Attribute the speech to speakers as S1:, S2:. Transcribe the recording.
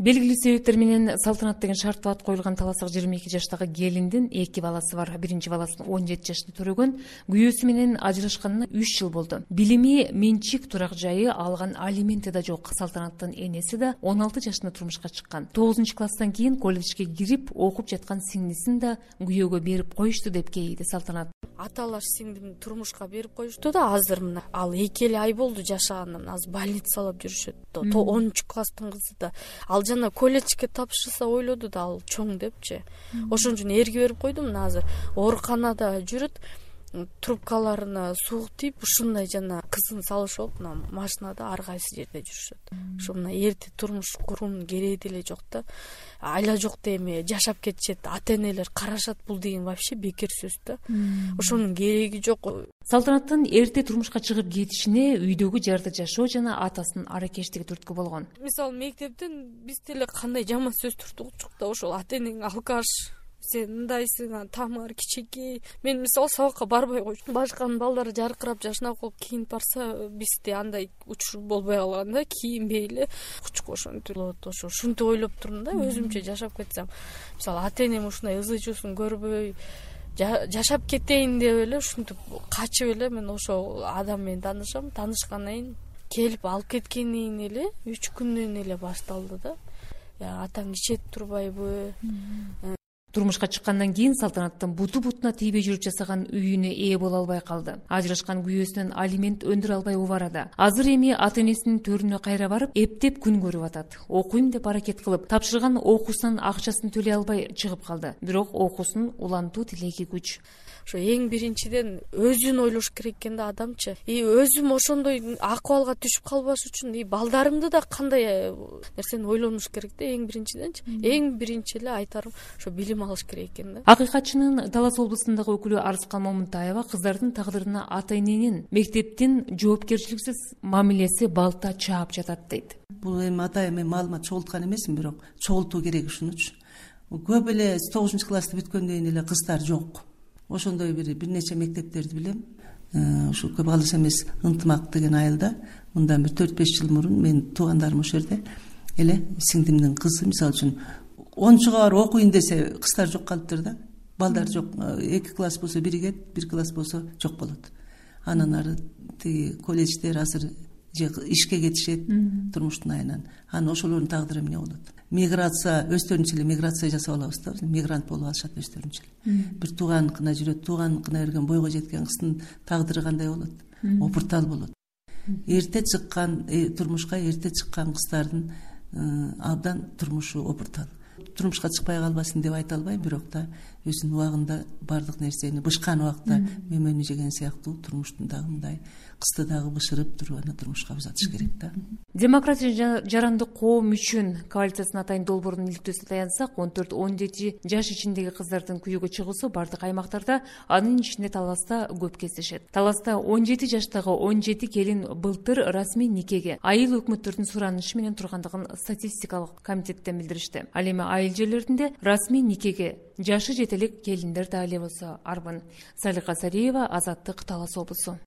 S1: Белгилүү себептер менен салтанат деген шарттуу ат коюлган таластагы 22 жаштагы келиндин 2 баласы бар. Биринчи баласын 17 жашта төрөгөн, күйөөсү менен ажырашканына 3 жыл болду. Билими, менчик, турак жайы, алган алименти да жок. Салтанаттын энеси да 16 жашында турмушка чыккан. 9-класстан кийин колледжге кирип окуп жаткан сиңдисин да күйөөгө берип коюшту деп кейиди Салтанат.
S2: Аталаш сиңдимди турмушка берип коюшту да, азыр мына ал 2 ай болду жашаганына, азыр больницалап жүрүшөт. 10-класстын кызы да. Ал жана колледжге тапшырса ойлоду да, ал чоң депчи. Ошон үчүн эрге берип койдум. Мына азыр ооруканада жүрөт. Трубкаларына суук тийип, ушундай жана кызын салышып, мына машинада ар кайсы жерде жүрүшөт. Ошо мына эрте турмуш куруунун кереги деле жок да. Айла жокто эми жашап кетишет, ата-энелер карашат, бул деген вообще бекер сөз да. Ошонун кереги жок.
S1: Салтанаттын эрте турмушка чыгып кетишине үйдөгү жарды жашоо жана атасынын аракештиги түрткү болгон.
S2: Мисалы мектептен биз деле кандай жаман сөз түртүктүк да, ошол ата-энең алкаш, сен мындайсың, тамыр кичинекей. Мен мисалы сабакка барбай койчумун. Башканын балдары жаркырап жашынап калып кийинип барса, бизде андай учур болбой калган да, кийинбей эле кучку ошентип болот. Ушинтип ойлоп турдум да, өзүмчө жашап кетсем. Мисалы ата-энем ушундай ызы-чуусун көрбөй жашап кетейин деп эле ушинтип качып эле мен ошол адам менен таанышам. Таанышкандан кийин келип алып кеткенден эле 3 күндөн эле башталды да. Атаң ичет турбайбы?
S1: Турмушка чыккандан кийин Салтанаттын буту-бутуна тийбей жүрүп жасаган үйүнө ээ боло албай калды. Ажырашкан күйөөсүнөн алимент өндүрө албай убарады. Азыр эми ата-энесинин төрүнө кайра барып, эптеп күн көрүп атат. Окуйм деп аракет кылып, тапшырган окуусунун акчасын төлөй албай чыгып калды. Бирок окуусун улантуу тилеги күч.
S2: Ошо эң биринчиден өзүн ойлош керек экен да адамчы. Өзүм ошондой акыбалга түшүп калбаш үчүн балдарымды да кандай нерсени ойлонуш керек да, эң биринчиденчи. Эң биринчи эле айтарым ошо билим алыш керек экен да.
S1: Акыйкатчынын Талас облусундагы өкүлү Арыскан Момунтаева кыздардын тагдырына ата-эненин, мектептин жоопкерчиликсиз мамилеси балта чаап жатат дейт.
S3: Бул эми атайын мен маалымат чогулткан эмесмин, бирок чогултуу керек ушунучу. Көп эле 9-классты бүткөндөн кийин эле кыздар жок. Ошондой бир нече мектептерди билем. Ушу көп алыс эмес Ынтымак деген айылда мындан бир 4-5 жыл мурун мен туугандарым ошол жерде эле сиңдимдин кызы, мисалы үчүн 10-чуга барып окуйн десе кыздар жок калыптыр да. Балдар жок. 2 класс болсо 1 класс болсо жок болот. Анан ары тиги колледждер азыр же ишке кетишет турмуштун айынан. Анан ошолордун тагдыры эмне болот? Миграция, өздөрүнчө эле миграция жасап алабыз да, мигрант болуп алышат өздөрүнчө эле. Бир тууганыкына жүрөт, тууганыкына берген бойго жеткен кыздын тагдыры кандай болот? Опуртал болот. Эрте чыккан турмушка эрте чыккан кыздардын абдан турмушу опуртал. Турмушка чыкпай калбасын деп айта албайм, бирок да өзүнүн убагында бардык нерсени бышкан убакта мөмөнү жеген сыяктуу турмуштун дагы мындай кызды дагы бышырып туруп аны турмушка узатыш керек да.
S1: Демократия жарандык коом үчүн коалициясынын атайын долбоорунун иликтөөсүнө таянсак, 14-17 жаш ичиндеги кыздардын күйөөгө чыгуусу бардык аймактарда, анын ичинде Таласта көп кездешет. Таласта 17 жаштагы 17 келин былтыр расмий никеге айыл өкмөттөрдүн суранышы менен тургандыгын статистикалык комитеттен билдиришти. Ал эми айыл жерлеринде расмий никеге жашы жете элек келиндер да эле болсо арбын. Салика Сариева, Азаттык, Талас облусу.